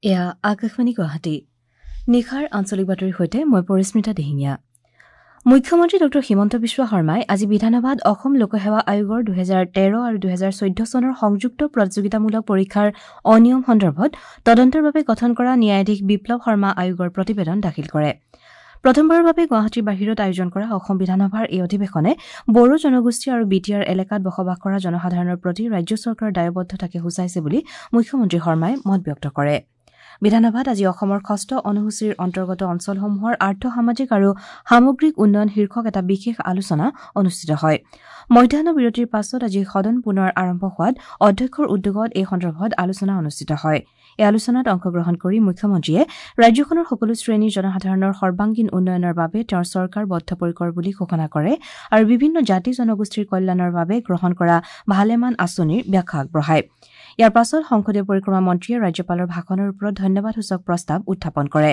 এয়া আকাশবাণী গুৱাহাটী। নিশাৰ আঞ্চলিক বাতৰিৰ সৈতে মই পৰিস্মিতা দিহিঙীয়া। মুখ্যমন্ত্ৰী ডঃ হিমন্ত বিশ্ব শৰ্মাই আজি বিধানসভাত অসম লোকসেৱা আয়োগৰ ২০১৩ আৰু ২০১৪ চনৰ সংযুক্ত প্ৰতিযোগিতামূলক পৰীক্ষাৰ অনিয়ম সন্দৰ্ভত তদন্তৰ বাবে গঠন কৰা ন্যায়াধীশ বিপ্লৱ শৰ্মা আয়োগৰ প্ৰতিবেদন দাখিল কৰে। প্ৰথমবাৰৰ বাবে গুৱাহাটীৰ বাহিৰত আয়োজন কৰা অসম বিধানসভাৰ এই অধিৱেশনে বড়ো জনগোষ্ঠী আৰু বি টি আৰ এলেকাত বসবাস কৰা জনসাধাৰণৰ প্ৰতি ৰাজ্য চৰকাৰৰ দায়বদ্ধতাকে সূচাইছে বুলি মুখ্যমন্ত্ৰী শৰ্মাই মত ব্যক্ত কৰে। বিধানসভাত আজি অসমৰ ষষ্ঠ অনুসূচীৰ অন্তৰ্গত অঞ্চলসমূহৰ আৰ্থ সামাজিক আৰু সামগ্ৰিক উন্নয়ন শীৰ্ষক এটা বিশেষ আলোচনা অনুষ্ঠিত হয়। মধ্যাহ্ন বিৰতিৰ পাছত আজি সদন পুনৰ আৰম্ভ হোৱাত অধ্যক্ষৰ উদ্যোগত এই সন্দৰ্ভত আলোচনা অনুষ্ঠিত হয়। এই আলোচনাত অংশগ্ৰহণ কৰি মুখ্যমন্ত্ৰীয়ে ৰাজ্যখনৰ সকলো শ্ৰেণীৰ জনসাধাৰণৰ সৰ্বাংগীন উন্নয়নৰ বাবে তেওঁৰ চৰকাৰ বদ্ধপৰিকৰ বুলি ঘোষণা কৰে আৰু বিভিন্ন জাতি জনগোষ্ঠীৰ কল্যাণৰ বাবে গ্ৰহণ কৰা ভালেমান আঁচনিৰ ব্যাখ্যা আগবঢ়ায়। ইয়াৰ পাছত সংসদীয় পৰিক্ৰমা মন্ত্ৰীয়ে ৰাজ্যপালৰ ভাষণৰ ওপৰত ধন্যবাদসূচক প্ৰস্তাৱ উত্থাপন কৰে।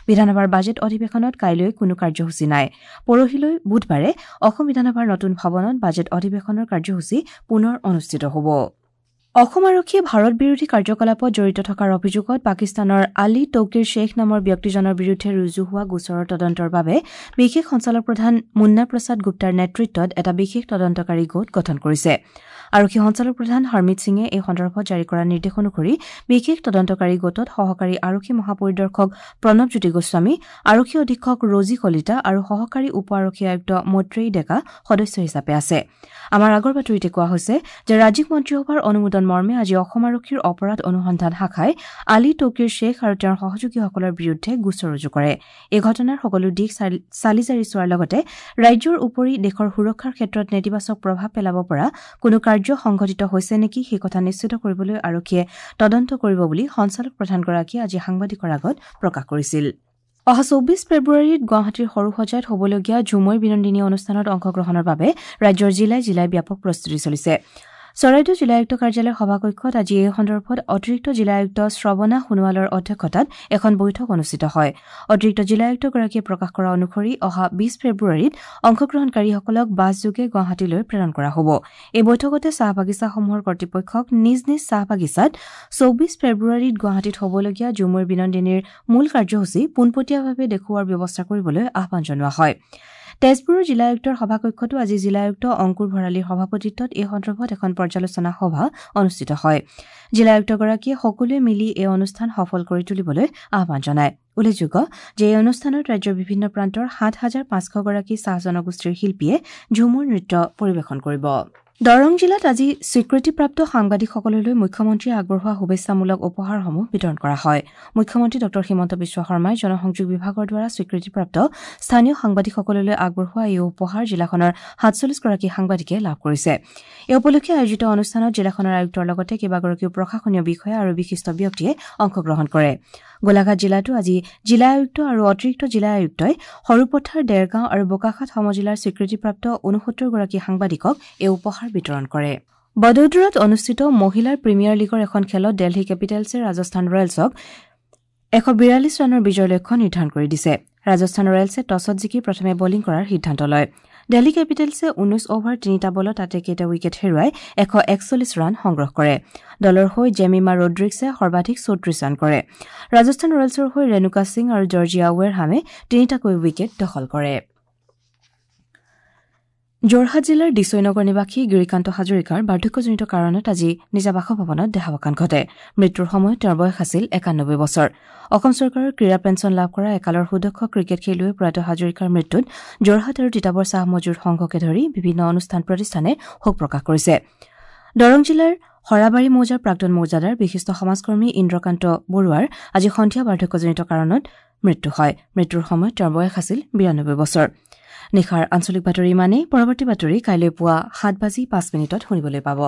বিধানসভাৰ বাজেট অধিৱেশনত কাইলৈ কোনো কাৰ্যসূচী নাই। পৰহিলৈ বুধবাৰে অসম বিধানসভাৰ নতুন ভৱনত বাজেট অধিৱেশনৰ কাৰ্যসূচী পুনৰ অনুষ্ঠিত হ'ব। অসম আৰক্ষীয়ে ভাৰত বিৰোধী কাৰ্যকলাপত জড়িত থকাৰ অভিযোগত পাকিস্তানৰ আলী তৌকিৰ শ্বেখ নামৰ ব্যক্তিজনৰ বিৰুদ্ধে ৰুজু হোৱা গোচৰৰ তদন্তৰ বাবে বিশেষ সঞ্চালকপ্ৰধান মুন্না প্ৰসাদ গুপ্তাৰ নেতৃত্বত এটা বিশেষ তদন্তকাৰী গোট গঠন কৰিছে। আৰক্ষী সঞ্চালকপ্ৰধান হৰমিত সিঙে এই সন্দৰ্ভত জাৰি কৰা নিৰ্দেশ অনুসৰি বিশেষ তদন্তকাৰী গোটত সহকাৰী আৰক্ষী মহাপৰিদৰ্শক প্ৰণৱজ্যোতি গোস্বামী, আৰক্ষী অধীক্ষক ৰজী কলিতা আৰু সহকাৰী উপ আৰক্ষী আয়ুক্ত মৈত্ৰেয়ী ডেকা সদস্য হিচাপে আছে। আমাৰ আগৰ বাতৰিতে কোৱা হৈছে যে ৰাজ্যিক মন্ত্ৰীসভাৰ অনুমোদন মৰ্মে আজি অসম আৰক্ষীৰ অপৰাধ অনুসন্ধান শাখাই আলী তৌকিৰ শ্বেখ আৰু তেওঁৰ সহযোগীসকলৰ বিৰুদ্ধে গোচৰ ৰুজু কৰে। এই ঘটনাৰ সকলো দিশ চালি জাৰি চোৱাৰ লগতে ৰাজ্যৰ উপৰি দেশৰ সুৰক্ষাৰ ক্ষেত্ৰত নেতিবাচক প্ৰভাৱ পেলাব পৰা কোনো কাৰ্য সংঘটিত হৈছে নেকি সেই কথা নিশ্চিত কৰিবলৈ আৰক্ষীয়ে তদন্ত কৰিব বুলি সঞ্চালক প্ৰধানগৰাকীয়ে আজি সাংবাদিকৰ আগত প্ৰকাশ কৰিছিল। অহা ২৪ ফেব্ৰুৱাৰীত গুৱাহাটীৰ সৰুসজাইত হ'বলগীয়া ঝুমুৰ বিনন্দিনী অনুষ্ঠানত অংশগ্ৰহণৰ বাবে ৰাজ্যৰ জিলাই জিলাই ব্যাপক প্ৰস্তুতি চলিছে। চৰাইদেউ জিলা আয়ুক্ত কাৰ্যালয়ৰ সভাকক্ষত আজি এই সন্দৰ্ভত অতিৰিক্ত জিলা আয়ুক্ত শ্ৰৱণা সোণোৱালৰ অধ্যক্ষতাত এখন বৈঠক অনুষ্ঠিত হয়। অতিৰিক্ত জিলা আয়ুক্তগৰাকীয়ে প্ৰকাশ কৰা অনুসৰি অহা ২০ ফেব্ৰুৱাৰীত অংশগ্ৰহণকাৰীসকলক বাছযোগে গুৱাহাটীলৈ প্ৰেৰণ কৰা হ'ব। এই বৈঠকতে চাহ বাগিচাসমূহৰ কৰ্তৃপক্ষক নিজ নিজ চাহ বাগিচাত ২৪ ফেব্ৰুৱাৰীত গুৱাহাটীত হ'বলগীয়া ঝুমুৰ বিনন্দিনীৰ মূল কাৰ্যসূচী পোনপটীয়াভাৱে দেখুওৱাৰ ব্যৱস্থা কৰিবলৈ আহ্বান জনোৱা হয়। তেজপুৰৰ জিলা আয়ুক্তৰ সভাকক্ষতো আজি জিলা আয়ুক্ত অংকুৰ ভৰালীৰ সভাপতিত্বত এই সন্দৰ্ভত এখন পৰ্যালোচনা সভা অনুষ্ঠিত হয়। জিলা আয়ুক্তগৰাকীয়ে সকলোৱে মিলি এই অনুষ্ঠান সফল কৰি তুলিবলৈ আহ্বান জনায়। উল্লেখযোগ্য যে এই অনুষ্ঠানত ৰাজ্যৰ বিভিন্ন প্ৰান্তৰ ৭৫০০ গৰাকী চাহ জনগোষ্ঠীৰ শিল্পীয়ে ঝুমুৰ নৃত্য পৰিৱেশন কৰিব। দৰং জিলাত আজি স্বীকৃতিপ্ৰাপ্ত সাংবাদিকসকললৈ মুখ্যমন্ত্ৰীয়ে আগবঢ়োৱা শুভেচ্ছামূলক উপহাৰসমূহ বিতৰণ কৰা হয়। মুখ্যমন্ত্ৰী ডঃ হিমন্ত বিশ্ব শৰ্মাই জনসংযোগ বিভাগৰ দ্বাৰা স্বীকৃতিপ্ৰাপ্ত স্থানীয় সাংবাদিকসকললৈ আগবঢ়োৱা এই উপহাৰ জিলাখনৰ ৪৭ গৰাকী সাংবাদিকে লাভ কৰিছে। এই উপলক্ষে আয়োজিত অনুষ্ঠানত জিলাখনৰ আয়ুক্তৰ লগতে কেইবাগৰাকীও প্ৰশাসনীয় বিষয়া আৰু বিশিষ্ট ব্যক্তিয়ে অংশগ্ৰহণ কৰে। গোলাঘাট জিলাতো আজি জিলা আয়ুক্ত আৰু অতিৰিক্ত জিলা আয়ুক্তই সৰুপথাৰ, দেৰগাঁও আৰু বোকাখাত সমজিলাৰ স্বীকৃতিপ্ৰাপ্ত ৬৯ গৰাকী সাংবাদিকক এই উপহাৰ বিতৰণ কৰে। বদৌদৰাত অনুষ্ঠিত মহিলাৰ প্ৰিমিয়াৰ লীগৰ এখন খেলত দেলহি কেপিটেলছে ৰাজস্থান ৰয়েলছক ১৪২ ৰানৰ বিজয়ৰ লক্ষ্য নিৰ্ধাৰণ কৰি দিছে। ৰাজস্থান ৰয়েলছে টছত জিকি প্ৰথমে বলিং কৰাৰ সিদ্ধান্ত লয়। দেলহি কেপিটেলছে ১৯ অভাৰ ৩টা বলত আটাইকেইটা উইকেট হেৰুৱাই ১৪১ ৰান সংগ্ৰহ কৰে। দলৰ হৈ জেমিমা ৰড্ৰিক্সে সৰ্বাধিক ৩৪ ৰান কৰে। ৰাজস্থান ৰয়েলছৰ হৈ ৰেণুকা সিং আৰু জৰ্জিয়া ৱেৰহামে ৩টাকৈ উইকেট দখল কৰে। যোৰহাট জিলাৰ দিচৈনগৰ নিবাসী গিৰিকান্ত হাজৰিকাৰ বাৰ্ধক্যজনিত কাৰণত আজি নিজা বাসভৱনত দেহাৱসান ঘটে। মৃত্যুৰ সময়ত তেওঁৰ বয়স আছিল ৯১ বছৰ। অসম চৰকাৰৰ ক্ৰীড়া পেঞ্চন লাভ কৰা একালৰ সুদক্ষ ক্ৰিকেট খেলুৱৈ প্ৰয়াত হাজৰিকাৰ মৃত্যুত যোৰহাট আৰু তিতাবৰ চাহ মজুৰ সংঘকে ধৰি বিভিন্ন অনুষ্ঠান প্ৰতিষ্ঠানে শোক প্ৰকাশ কৰিছে। দৰং জিলাৰ সৰাবাৰী মৌজাৰ প্ৰাক্তন মৌজাদাৰ বিশিষ্ট সমাজকৰ্মী ইন্দ্ৰকান্ত বৰুৱাৰ আজি সন্ধিয়া বাৰ্ধক্যজনিত কাৰণত মৃত্যু হয়। মৃত্যুৰ সময়ত তেওঁৰ বয়স আছিল ৯২ বছৰ। নিশাৰ আঞ্চলিক বাতৰি ইমানেই। পৰৱৰ্তী বাতৰি কাইলৈ পুৱা ৭:০৫ শুনিবলৈ পাব।